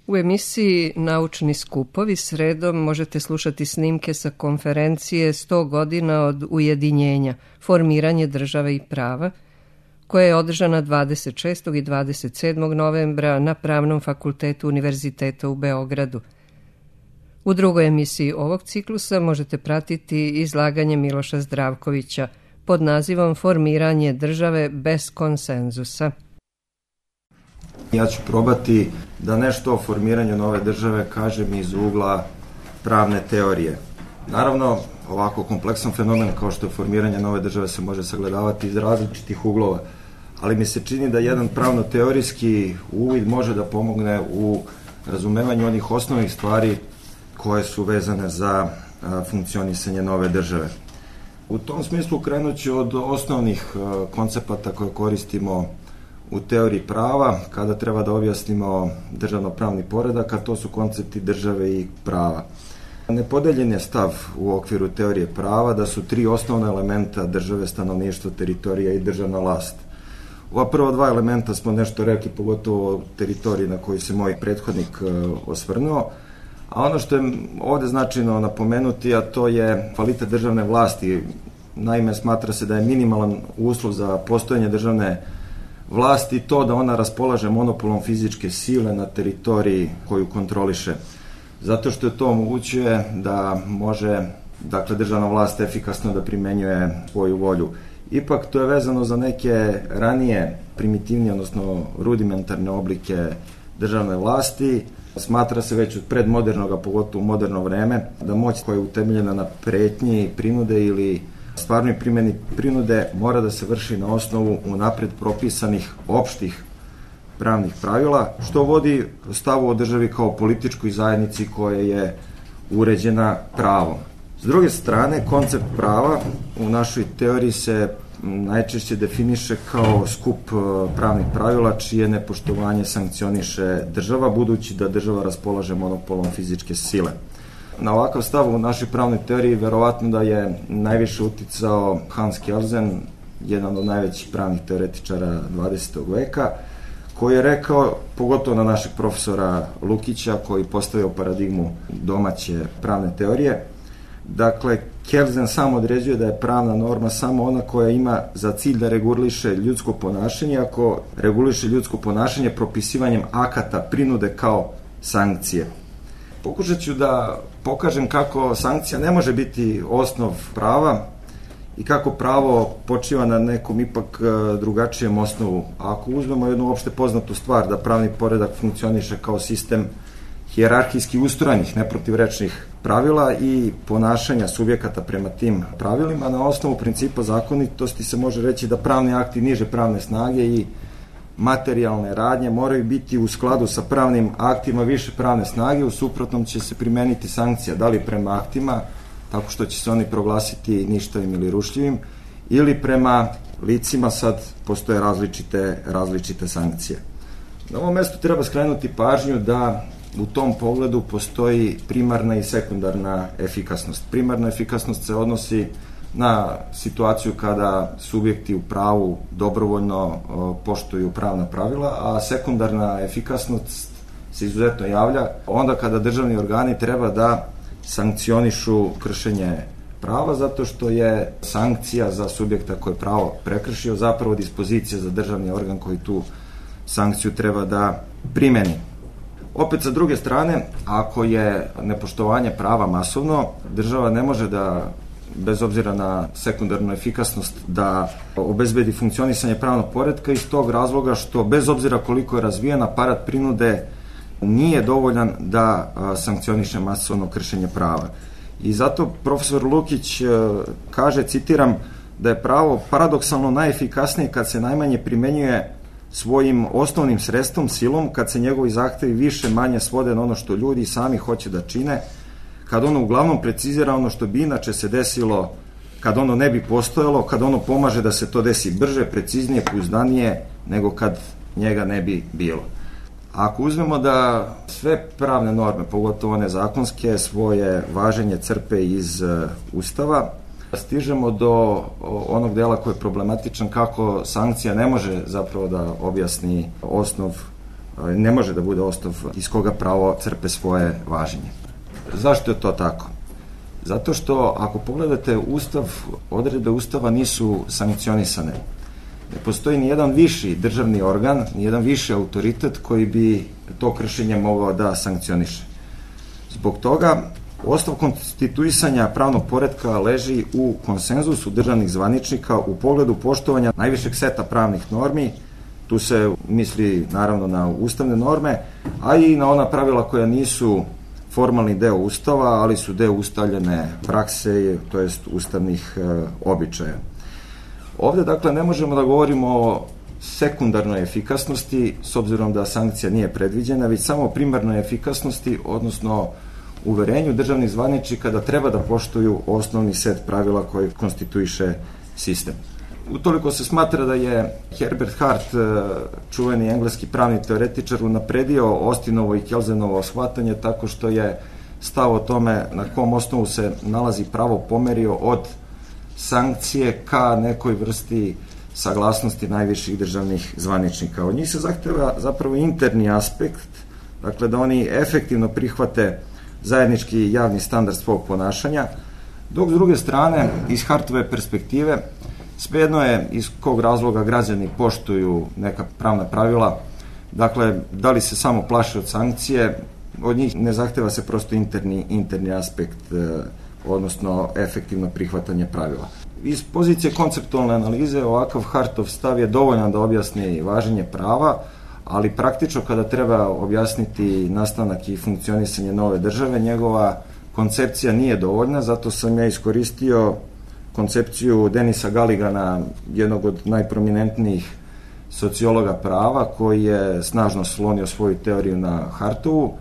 U emisiji Naučni skupovi sredom možete slušati snimke sa konferencije 100 godina od ujedinjenja, formiranje države i prava, koja je održana 26. i 27. novembra na Pravnom fakultetu Univerziteta u Beogradu. U drugoj emisiji ovog ciklusa možete pratiti izlaganje Miloša Zdravkovića pod nazivom Formiranje države bez konsenzusa. Ja ću probati da nešto o formiranju nove države kažem iz ugla pravne teorije. Naravno, ovako kompleksan fenomen kao što je formiranje nove države se može sagledavati iz različitih uglova, ali mi se čini da jedan pravno-teorijski uvid može da pomogne u razumevanju onih osnovnih stvari koje su vezane za funkcionisanje nove države. U tom smislu krenut ću od osnovnih koncepata koje koristimo u teoriji prava, kada treba da objasnimo državno-pravni poredak, a to su koncepti države i prava. Nepodeljen je stav u okviru teorije prava da su tri osnovna elementa države, stanovništvo, teritorija i državna vlast. Ova prva dva elementa smo nešto rekli, pogotovo o teritoriji na koji se moj prethodnik osvrnuo, a ono što je ovde značajno napomenuti, a to je kvalitet državne vlasti. Naime, smatra se da je minimalan uslov za postojanje državne vlasti to da ona raspolaže monopolom fizičke sile na teritoriji koju kontroliše. Zato što to omogućuje da može, državna vlast efikasno da primenjuje svoju volju. Ipak to je vezano za neke ranije primitivnije, odnosno rudimentarne oblike državne vlasti. Smatra se već od predmodernog, a pogotovo u moderno vreme, da moć koja je utemeljena na pretnji, prinude ili stvarnoj primjeni prinude mora da se vrši na osnovu unapred propisanih opštih pravnih pravila, što vodi stavu o državi kao političkoj zajednici koja je uređena pravom. S druge strane, koncept prava u našoj teoriji se najčešće definiše kao skup pravnih pravila čije nepoštovanje sankcioniše država, budući da država raspolaže monopolom fizičke sile. Na ovakav stav u našoj pravnoj teoriji verovatno da je najviše uticao Hans Kelsen, jedan od najvećih pravnih teoretičara 20. veka, koji je rekao, pogotovo na našeg profesora Lukića, koji postavio paradigmu domaće pravne teorije, dakle, Kelsen sam određuje da je pravna norma samo ona koja ima za cilj da reguliše ljudsko ponašanje, ako reguliše ljudsko ponašanje propisivanjem akata prinude kao sankcije. Pokušat ću da pokažem kako sankcija ne može biti osnov prava i kako pravo počiva na nekom ipak drugačijem osnovu. Ako uzmemo jednu opšte poznatu stvar, da pravni poredak funkcioniše kao sistem hijerarhijski ustrojenih, neprotivrečnih pravila i ponašanja subjekata prema tim pravilima, na osnovu principa zakonitosti se može reći da pravni akti niže pravne snage i materijalne radnje moraju biti u skladu sa pravnim aktima više pravne snage, u suprotnom će se primeniti sankcija, da li prema aktima, tako što će se oni proglasiti ništavim ili rušljivim, ili prema licima, sad postoje različite sankcije. Na ovom mestu treba skrenuti pažnju da u tom pogledu postoji primarna i sekundarna efikasnost. Primarna efikasnost se odnosi na situaciju kada subjekti u pravu dobrovoljno poštuju pravna pravila, a sekundarna efikasnost se izuzetno javlja onda kada državni organi treba da sankcionišu kršenje prava, zato što je sankcija za subjekta koji je pravo prekršio zapravo dispozicija za državni organ koji tu sankciju treba da primeni. Opet, sa druge strane, ako je nepoštovanje prava masovno, država ne može da, bez obzira na sekundarnu efikasnost, da obezbedi funkcionisanje pravnog poretka iz tog razloga što, bez obzira koliko je razvijen, aparat prinude nije dovoljan da sankcioniše masovno kršenje prava. I zato profesor Lukić kaže, citiram, da je pravo paradoksalno najefikasnije kad se najmanje primenjuje svojim osnovnim sredstvom, silom, kad se njegovi zahtevi više manje svode na ono što ljudi sami hoće da čine, kad ono uglavnom precizira ono što bi inače se desilo kad ono ne bi postojalo, kad ono pomaže da se to desi brže, preciznije, pouzdanije nego kad njega ne bi bilo. Ako uzmemo da sve pravne norme, pogotovo one zakonske, svoje važenje crpe iz Ustava, stižemo do onog dela koji je problematičan, kako sankcija ne može zapravo da objasni osnov ne može da bude osnov iz koga pravo crpe svoje važenje. Zašto je to tako? Zato što ako pogledate Ustav, odredbe Ustava nisu sankcionisane. Ne postoji ni jedan viši državni organ, ni jedan viši autoritet koji bi to kršenje mogao da sankcioniše. Zbog toga, osnov konstituisanja pravnog poretka leži u konsenzusu državnih zvaničnika u pogledu poštovanja najvišeg seta pravnih normi. Tu se misli naravno na ustavne norme, a i na ona pravila koja nisu formalni deo Ustava, ali su deo ustaljene prakse, to jest ustavnih običaja. Ovde, dakle, ne možemo da govorimo o sekundarnoj efikasnosti, s obzirom da sankcija nije predviđena, već samo o primarnoj efikasnosti, odnosno uverenju državnih zvaničnika da treba da poštuju osnovni set pravila koji konstituiše sistem. Utoliko se smatra da je Herbert Hart, čuveni engleski pravni teoretičar, unapredio Austinovo i Kelzenovo shvatanje tako što je stav o tome na kom osnovu se nalazi pravo pomerio od sankcije ka nekoj vrsti saglasnosti najviših državnih zvaničnika. Od njih se zahteva zapravo interni aspekt, dakle da oni efektivno prihvate zajednički javni standard svog ponašanja, dok s druge strane, iz Hartove perspektive, svejedno je iz kog razloga građani poštuju neka pravna pravila, dakle, da li se samo plaše od sankcije, od njih ne zahteva se prosto interni aspekt, odnosno efektivno prihvatanje pravila. Iz pozicije konceptualne analize ovakav Hartov stav je dovoljan da objasni važenje prava, ali praktično kada treba objasniti nastanak i funkcionisanje nove države, njegova koncepcija nije dovoljna, zato sam ja iskoristio koncepciju Denisa Galigana, jednog od najprominentnijih sociologa prava, koji je snažno slonio svoju teoriju na Hartovu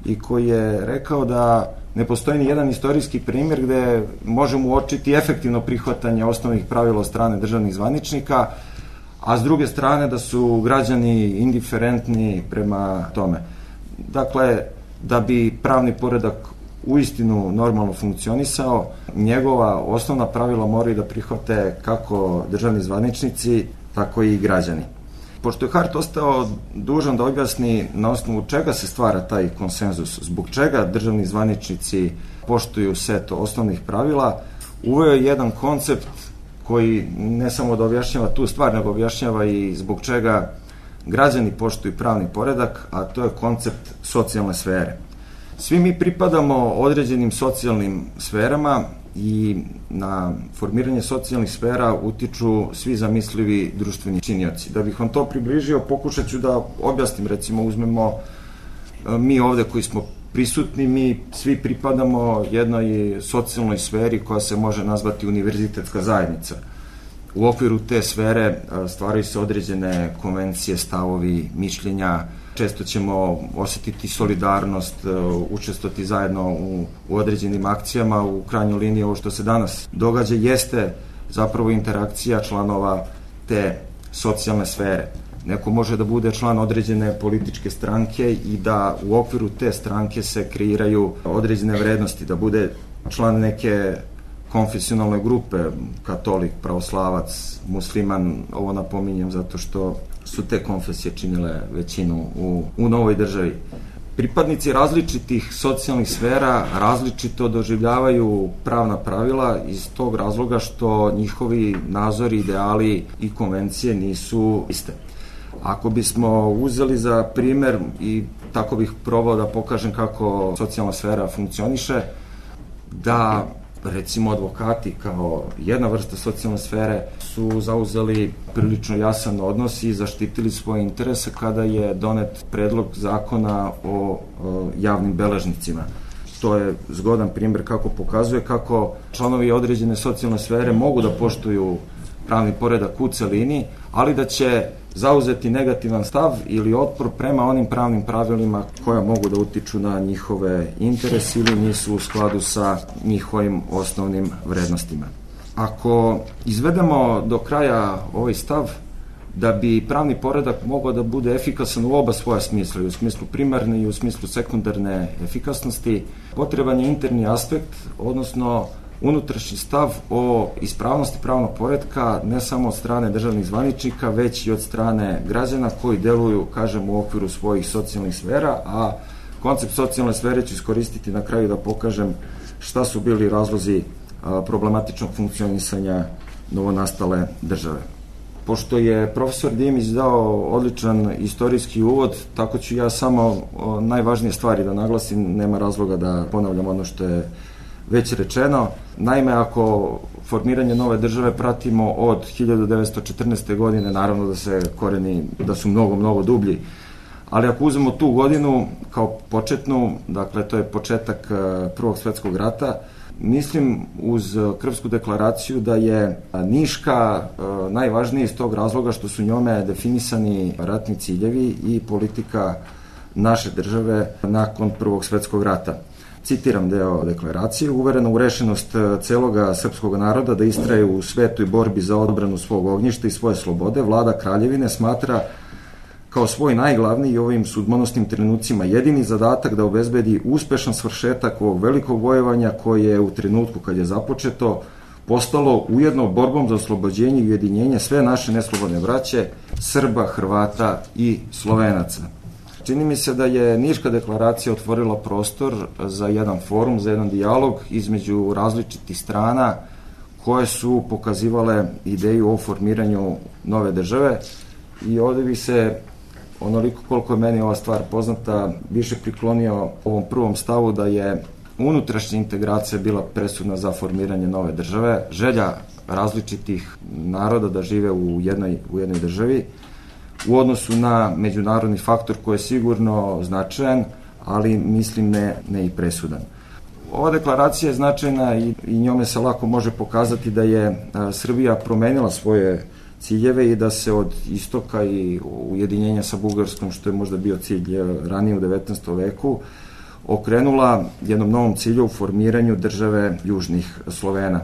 i koji je rekao da ne postoji ni jedan istorijski primjer gde možemo uočiti efektivno prihvatanje osnovnih pravila od strane državnih zvaničnika, a s druge strane da su građani indiferentni prema tome. Dakle, da bi pravni poredak uistinu normalno funkcionisao, njegova osnovna pravila moraju da prihvate kako državni zvaničnici, tako i građani. Pošto je Hart ostao dužan da objasni na osnovu čega se stvara taj konsenzus, zbog čega državni zvaničnici poštuju set osnovnih pravila, uveo je jedan koncept koji ne samo da objašnjava tu stvar, nego objašnjava i zbog čega građani poštuju pravni poredak, a to je koncept socijalne sfere. Svi mi pripadamo određenim socijalnim sferama i na formiranje socijalnih sfera utiču svi zamislivi društveni činioci. Da bih vam to približio, pokušat ću da objasnim, recimo uzmemo mi ovde koji smo prisutni, mi svi pripadamo jednoj socijalnoj sferi koja se može nazvati univerzitetska zajednica. U okviru te sfere stvaraju se određene konvencije, stavovi, mišljenja, često ćemo osetiti solidarnost, učestvovati zajedno u određenim akcijama. U krajnjoj liniji ovo što se danas događa jeste zapravo interakcija članova te socijalne sfere. Neko može da bude član određene političke stranke i da u okviru te stranke se kreiraju određene vrednosti, da bude član neke konfesionalne grupe, katolik, pravoslavac, musliman, ovo napominjem zato što su te konfesije činile većinu u novoj državi. Pripadnici različitih socijalnih sfera različito doživljavaju pravna pravila iz tog razloga što njihovi nazori, ideali i konvencije nisu iste. Ako bismo uzeli za primer, i tako bih probao da pokažem kako socijalna sfera funkcioniše, da recimo advokati kao jedna vrsta socijalne sfere su zauzeli prilično jasan odnos i zaštitili svoje interese kada je donet predlog zakona o javnim beležnicima. To je zgodan primjer kako pokazuje kako članovi određene socijalne sfere mogu da poštuju pravni poredak u celini, ali da će zauzeti negativan stav ili otpor prema onim pravnim pravilima koja mogu da utiču na njihove interese ili nisu u skladu sa njihovim osnovnim vrednostima. Ako izvedemo do kraja ovaj stav, da bi pravni poredak mogao da bude efikasan u oba svoja smisla, i u smislu primarne i u smislu sekundarne efikasnosti, potreban je interni aspekt, odnosno unutrašnji stav o ispravnosti pravnog poretka ne samo od strane državnih zvaničnika, već i od strane građana koji deluju, kažem, u okviru svojih socijalnih sfera, a koncept socijalne sfere ću iskoristiti na kraju da pokažem šta su bili razlozi problematičnog funkcionisanja novonastale države. Pošto je profesor Dimić dao odličan istorijski uvod, tako ću ja samo najvažnije stvari da naglasim, nema razloga da ponavljam ono što je već rečeno. Naime, ako formiranje nove države pratimo od 1914. godine, naravno da se koreni, da su mnogo dublji, ali ako uzmemo tu godinu kao početnu, dakle to je početak Prvog svjetskog rata, mislim uz Krfsku deklaraciju da je Niška najvažnija iz tog razloga što su njome definisani ratni ciljevi i politika naše države nakon Prvog svjetskog rata. Citiram deo deklaracije: uverena u rešenost celoga srpskog naroda da istraje u svetoj borbi za odbranu svog ognjišta i svoje slobode, vlada kraljevine smatra kao svoj najglavniji i ovim sudbonosnim trenucima jedini zadatak da obezbedi uspešan svršetak ovog velikog vojevanja koje je u trenutku kad je započeto postalo ujedno borbom za oslobođenje i ujedinjenje sve naše neslobodne braće, Srba, Hrvata i Slovenaca. Čini mi se da je Niška deklaracija otvorila prostor za jedan forum, za jedan dijalog između različitih strana koje su pokazivale ideju o formiranju nove države i ovde bi se, onoliko koliko je meni ova stvar poznata, više priklonio ovom prvom stavu da je unutrašnja integracija bila presudna za formiranje nove države, želja različitih naroda da žive u jednoj državi, u odnosu na međunarodni faktor koji je sigurno značajan, ali mislim ne i presudan. Ova deklaracija je značajna i njome se lako može pokazati da je Srbija promenila svoje ciljeve i da se od istoka i ujedinjenja sa Bugarskom, što je možda bio cilj ranije u 19. veku, okrenula jednom novom cilju u formiranju države južnih Slovena.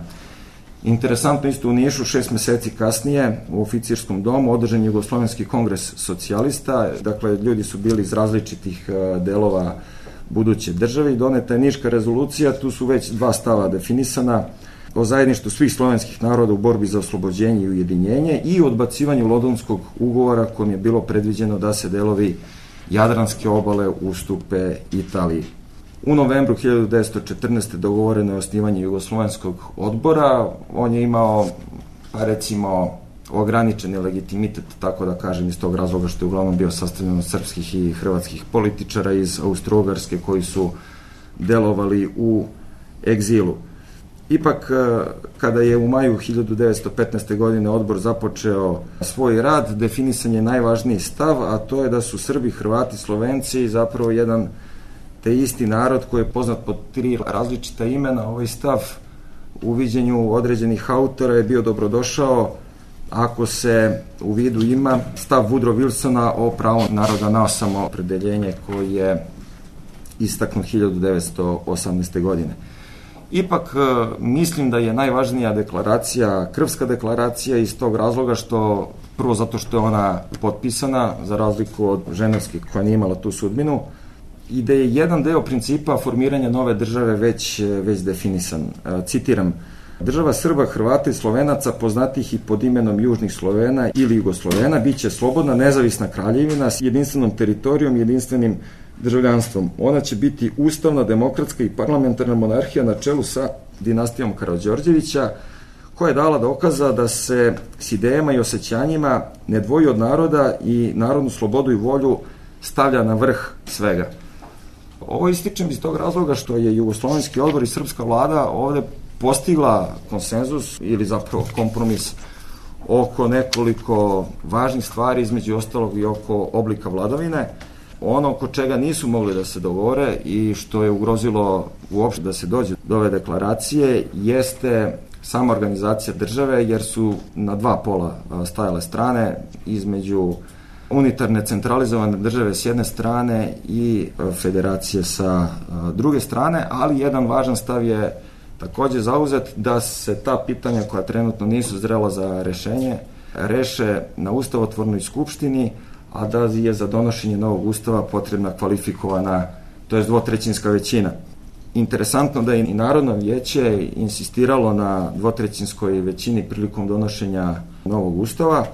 Interesantno, isto u Nišu 6 meseci kasnije u oficirskom domu održan je Jugoslovenski kongres socijalista, dakle ljudi su bili iz različitih delova buduće države i doneta je Niška rezolucija, tu su već dva stava definisana: o zajedništvu svih slovenskih naroda u borbi za oslobođenje i ujedinjenje i odbacivanju Londonskog ugovora kojim je bilo predviđeno da se delovi Jadranske obale ustupe Italiji. U novembru 1914. dogovoreno je osnivanje Jugoslovenskog odbora. On je imao, recimo, ograničeni legitimitet, tako da kažem, iz tog razloga što je uglavnom bio sastavljen od srpskih i hrvatskih političara iz Austro-Ugarske koji su delovali u egzilu. Ipak, kada je u maju 1915. godine odbor započeo svoj rad, definisan je najvažniji stav, a to je da su Srbi, Hrvati, Slovenci zapravo jedan te isti narod koji je poznat pod 3 različita imena. Ovaj stav u viđenju određenih autora je bio dobrodošao ako se u vidu ima stav Woodrow Wilsona o pravu naroda na samoopredeljenje koji je istaknut 1918. godine. Ipak mislim da je najvažnija deklaracija Krfska deklaracija iz tog razloga što, prvo zato što je ona potpisana za razliku od Ženevske koja nije imala tu sudbinu, i da je jedan deo principa formiranja nove države već definisan. Citiram: država Srba, Hrvata i Slovenaca, poznatih i pod imenom Južnih Slovena ili Jugoslovena, biće slobodna, nezavisna kraljevina s jedinstvenom teritorijom, jedinstvenim državljanstvom. Ona će biti ustavna, demokratska i parlamentarna monarhija na čelu sa dinastijom Karađorđevića, koja je dala dokaza da se s idejama i osjećanjima ne dvoji od naroda i narodnu slobodu i volju stavlja na vrh svega. Ovo ističem iz tog razloga što je Jugoslovenski odbor i srpska vlada ovde postigla konsenzus ili zapravo kompromis oko nekoliko važnih stvari, između ostalog i oko oblika vladavine. Ono oko čega nisu mogli da se dogovore i što je ugrozilo uopšte da se dođe do ove deklaracije jeste sama organizacija države, jer su na dva pola stajale strane, između unitarne centralizovane države s jedne strane i federacije sa druge strane, ali jedan važan stav je takođe zauzet da se ta pitanja koja trenutno nisu zrela za rešenje reše na ustavotvornoj skupštini, a da je za donošenje novog ustava potrebna kvalifikovana, to je dvotrećinska većina. Interesantno da je i Narodno vijeće insistiralo na dvotrećinskoj većini prilikom donošenja novog ustava,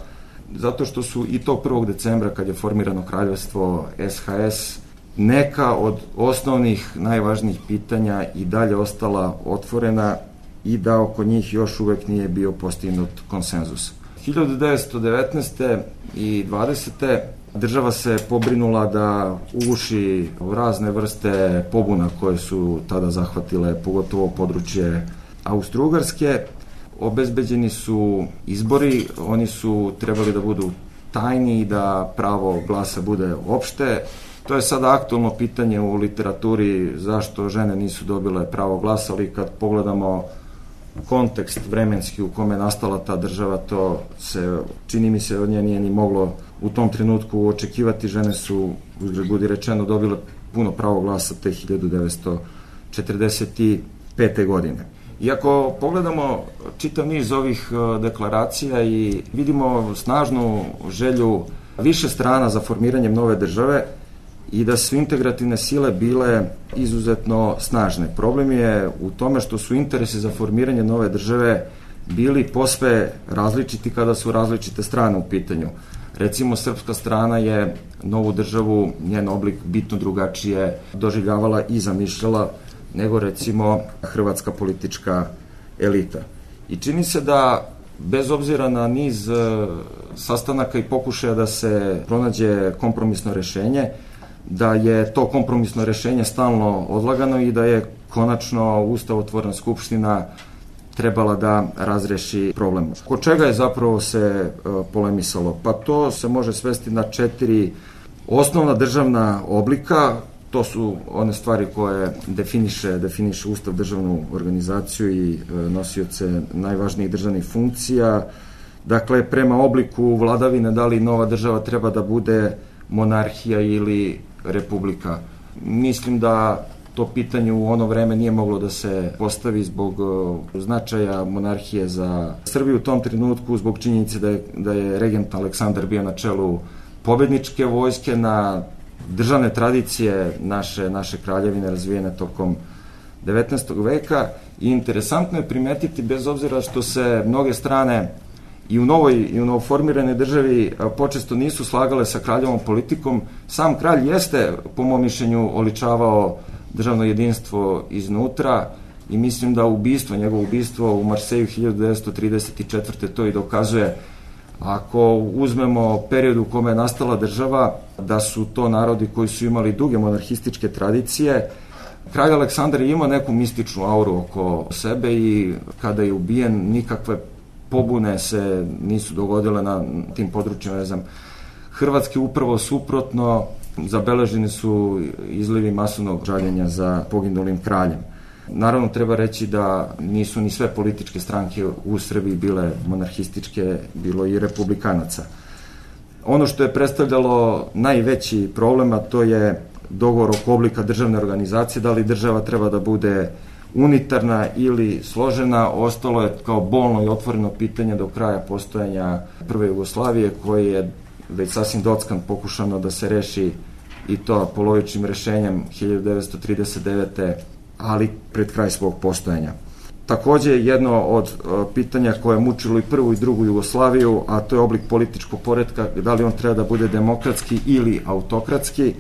zato što su i tog 1. decembra, kad je formirano kraljevstvo SHS, neka od osnovnih, najvažnijih pitanja i dalje ostala otvorena i da oko njih još uvek nije bio postignut konsenzus. 1919. i 20. država se pobrinula da uguši razne vrste pobuna koje su tada zahvatile, pogotovo područje Austro-Ugarske. Obezbeđeni su izbori, oni su trebali da budu tajni i da pravo glasa bude opšte. To je sada aktualno pitanje u literaturi zašto žene nisu dobile pravo glasa, ali kad pogledamo kontekst vremenski u kome je nastala ta država, to se, čini mi se, od nje nije ni moglo u tom trenutku očekivati. Žene su, uzgred budi rečeno, dobile puno pravo glasa te 1945. godine. Iako pogledamo čitav niz ovih deklaracija i vidimo snažnu želju više strana za formiranjem nove države i da su integrativne sile bile izuzetno snažne. Problem je u tome što su interesi za formiranje nove države bili posve različiti kada su različite strane u pitanju. Recimo, srpska strana je novu državu, njen oblik bitno drugačije doživljavala i zamišljala nego recimo hrvatska politička elita. I čini se da, bez obzira na niz sastanaka i pokušaja da se pronađe kompromisno rešenje, da je to kompromisno rešenje stalno odlagano i da je konačno ustavotvorna skupština trebala da razreši problem. Oko čega je zapravo se polemisalo? Pa to se može svesti na 4 osnovna državna oblika. To su one stvari koje definiše Ustav, državnu organizaciju i nosioce najvažnijih državnih funkcija. Dakle, prema obliku vladavine, da li nova država treba da bude monarhija ili republika. Mislim da to pitanje u ono vreme nije moglo da se postavi zbog značaja monarhije za Srbiju u tom trenutku, zbog činjenice da je regent Aleksandar bio na čelu pobedničke vojske, na državne tradicije naše kraljevine razvijene tokom 19. veka. I interesantno je primetiti, bez obzira što se mnoge strane i u novoformiranoj državi počesto nisu slagale sa kraljevom politikom, sam kralj jeste, po mom mišljenju, oličavao državno jedinstvo iznutra i mislim da njegovo ubistvo u Marseju 1934. to i dokazuje. Ako uzmemo period u kome je nastala država, da su to narodi koji su imali duge monarhističke tradicije, kralj Aleksandar je imao neku mističnu auru oko sebe i kada je ubijen, nikakve pobune se nisu dogodile na tim područjima. Hrvatske upravo suprotno, zabeleženi su izlivi masovnog žaljenja za poginulim kraljem. Naravno, treba reći da nisu ni sve političke stranke u Srbiji bile monarhističke, bilo i republikanaca. Ono što je predstavljalo najveći problem, a to je dogovor oko oblika državne organizacije, da li država treba da bude unitarna ili složena, ostalo je kao bolno i otvoreno pitanje do kraja postojanja prve Jugoslavije, koje je već sasvim dockan pokušano da se reši i to polovičnim rešenjem 1939. ali pred kraj svog postojanja. Takođe, jedno od pitanja koje je mučilo i prvu i drugu Jugoslaviju, a to je oblik političkog poretka, da li on treba da bude demokratski ili autokratski.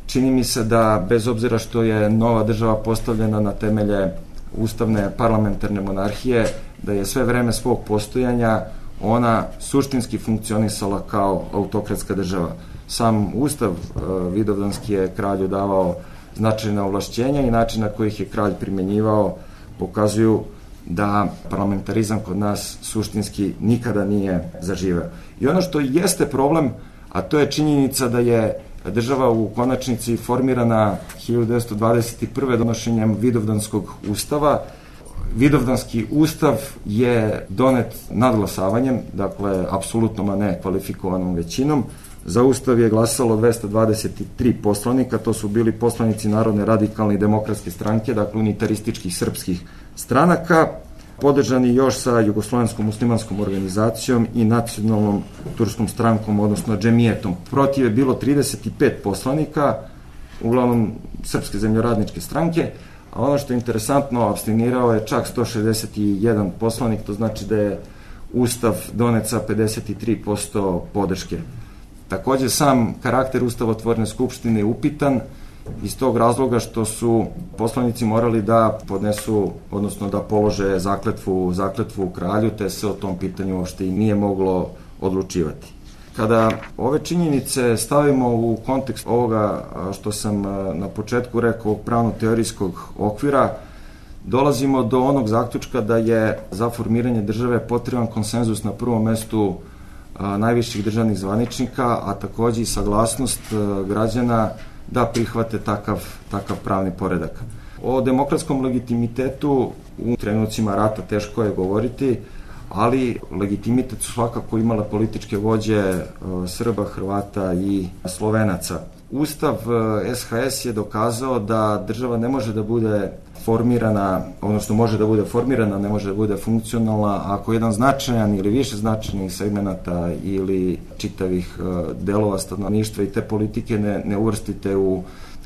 Čini mi se da, bez obzira što je nova država postavljena na temelje ustavne parlamentarne monarhije, da je sve vreme svog postojanja ona suštinski funkcionisala kao autokratska država. Sam ustav vidovdanski je kralju davao značajna ovlašćenja i način na kojih je kralj primenjivao pokazuju da parlamentarizam kod nas suštinski nikada nije zaživeo. I ono što jeste problem, a to je činjenica da je država u konačnici formirana 1921. donošenjem Vidovdanskog ustava. Vidovdanski ustav je donet nadglasavanjem, dakle, apsolutnom, a ne kvalifikovanom većinom. Za ustav je glasalo 223 poslanika, to su bili poslanici Narodne radikalne i demokratske stranke, dakle unitarističkih srpskih stranaka, podržani još sa Jugoslovenskom muslimanskom organizacijom i nacionalnom turskom strankom, odnosno džemijetom. Protiv je bilo 35 poslanika, uglavnom srpske zemljoradničke stranke, a ono što je interesantno, apstinirao je čak 161 poslanik, to znači da je Ustav donet sa 53% podrške. Takođe, sam karakter ustavotvorne skupštine je upitan iz tog razloga što su poslanici morali da podnesu, odnosno da polože zakletvu kralju, te se o tom pitanju uopšte i nije moglo odlučivati. Kada ove činjenice stavimo u kontekst ovoga što sam na početku rekao, pravno-teorijskog okvira, dolazimo do onog zaključka da je za formiranje države potreban konsenzus na prvom mestu najviših državnih zvaničnika, a takođe i saglasnost građana da prihvate takav pravni poredak. O demokratskom legitimitetu u trenucima rata teško je govoriti, ali legitimitet su svakako imale političke vođe Srba, Hrvata i Slovenaca. Ustav SHS je dokazao da država ne može da bude formirana, odnosno može da bude formirana, ne može da bude funkcionalna ako jedan značajan ili više značajnih segmenata ili čitavih delova stanovništva i te politike ne uvrstite u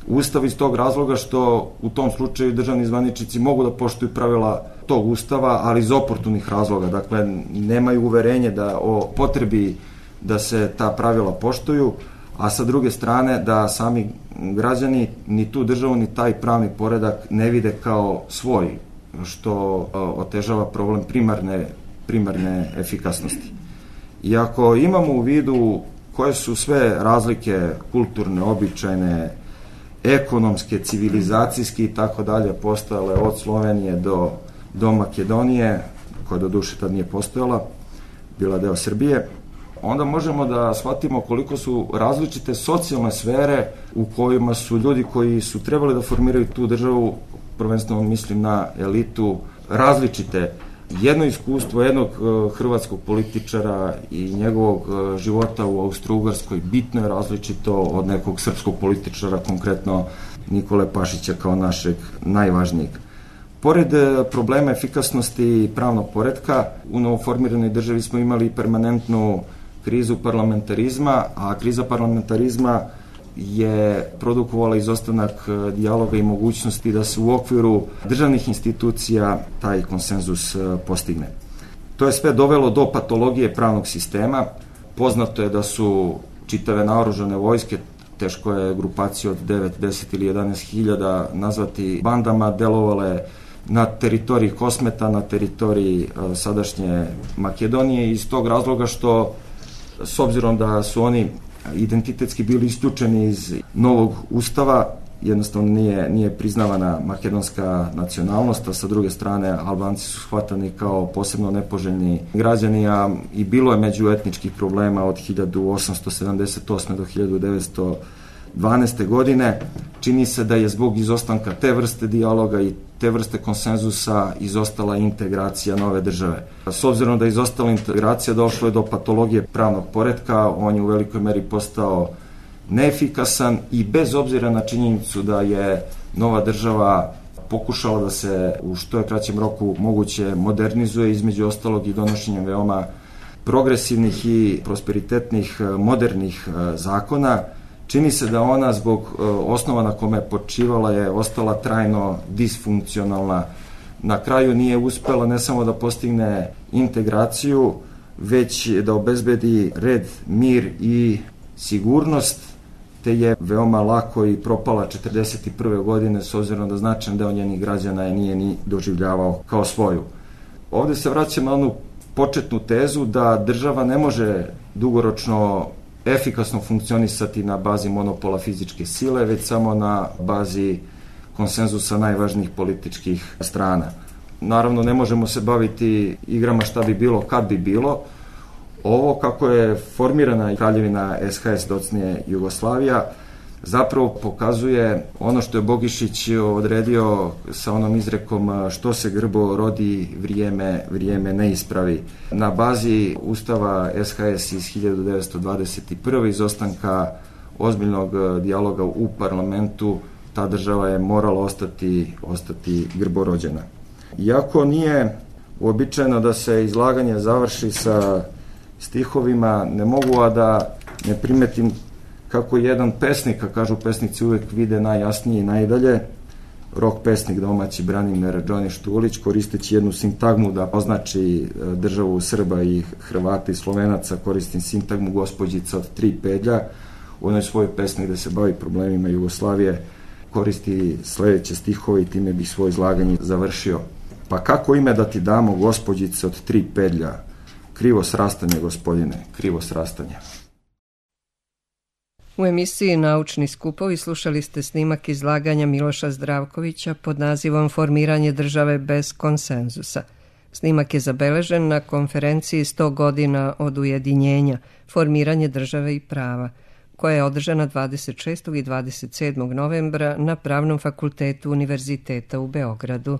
Ustav, iz tog razloga što u tom slučaju državni zvaničnici mogu da poštuju pravila tog Ustava, ali iz oportunih razloga. Dakle, nemaju uverenje o potrebi da se ta pravila poštuju, a sa druge strane da sami građani ni tu državu ni taj pravni poredak ne vide kao svoj, što otežava problem primarne efikasnosti. I ako imamo u vidu koje su sve razlike kulturne, običajne, ekonomske, civilizacijske i tako dalje postojale od Slovenije do Makedonije, koja do duše tad nije postojala, bila deo Srbije, onda možemo da shvatimo koliko su različite socijalne sfere u kojima su ljudi koji su trebali da formiraju tu državu, prvenstveno mislim na elitu, različite. Jedno iskustvo jednog hrvatskog političara i njegovog života u Austro-Ugarskoj bitno je različito od nekog srpskog političara, konkretno Nikole Pašića kao našeg najvažnijeg. Pored problema efikasnosti i pravnog poretka, u novoformiranoj državi smo imali permanentnu krizu parlamentarizma, a kriza parlamentarizma je produkovala izostanak dijaloga i mogućnosti da se u okviru državnih institucija taj konsenzus postigne. To je sve dovelo do patologije pravnog sistema. Poznato je da su čitave naoružane vojske, teško je grupaciju od 9, 10 ili 11 hiljada nazvati bandama, delovale na teritoriji Kosmeta, na teritoriji sadašnje Makedonije, iz tog razloga što, s obzirom da su oni identitetski bili isključeni iz novog ustava, jednostavno nije priznavana makedonska nacionalnost, a sa druge strane Albanci su shvatani kao posebno nepoželjni građani, a i bilo je međuetničkih problema od 1878. do 1912. godine. Čini se da je zbog izostanka te vrste dijaloga i te vrste konsenzusa izostala integracija nove države. S obzirom da je izostala integracija, došlo je do patologije pravnog poretka, on je u velikoj meri postao neefikasan i bez obzira na činjenicu da je nova država pokušala da se u što je kraćem roku moguće modernizuje, između ostalog i donošenjem veoma progresivnih i prosperitetnih modernih zakona, čini se da ona zbog osnova na kome je počivala je ostala trajno disfunkcionalna. Na kraju nije uspela ne samo da postigne integraciju, već da obezbedi red, mir i sigurnost, te je veoma lako i propala 1941. godine, s obzirom da značajan deo njenih građana je nije ni doživljavao kao svoju. Ovde se vraćam na onu početnu tezu da država ne može dugoročno efikasno funkcionisati na bazi monopola fizičke sile, već samo na bazi konsenzusa najvažnijih političkih strana. Naravno, ne možemo se baviti igrama šta bi bilo, kad bi bilo. Ovo, kako je formirana kraljevina SHS, docnije Jugoslavija, zapravo pokazuje ono što je Bogišić odredio sa onom izrekom što se grbo rodi, vrijeme ne ispravi. Na bazi Ustava SHS iz 1921. izostanka ozbiljnog dijaloga u parlamentu, ta država je morala ostati grborođena. Iako nije uobičajeno da se izlaganje završi sa stihovima, ne mogu a da ne primetim kako jedan pesnik, a kažu pesnici uvek vide najjasnije i najdalje, rock pesnik domaći Branimir Johnny Štulić, koristeći jednu sintagmu da označi državu Srba i Hrvata i Slovenaca, koristim sintagmu gospođica od 3 pedlja. U onoj svojoj pesmi gde se bavi problemima Jugoslavije koristi sledeće stihove i time bih svoje izlaganje završio. Pa kako ime da ti damo, gospođice od 3 pedlja? Krivo srastanje, gospodine, krivo srastanje. U emisiji Naučni skupovi slušali ste snimak izlaganja Miloša Zdravkovića pod nazivom Formiranje države bez konsenzusa. Snimak je zabeležen na konferenciji 100 godina od ujedinjenja, Formiranje države i prava, koja je održana 26. i 27. novembra na Pravnom fakultetu Univerziteta u Beogradu.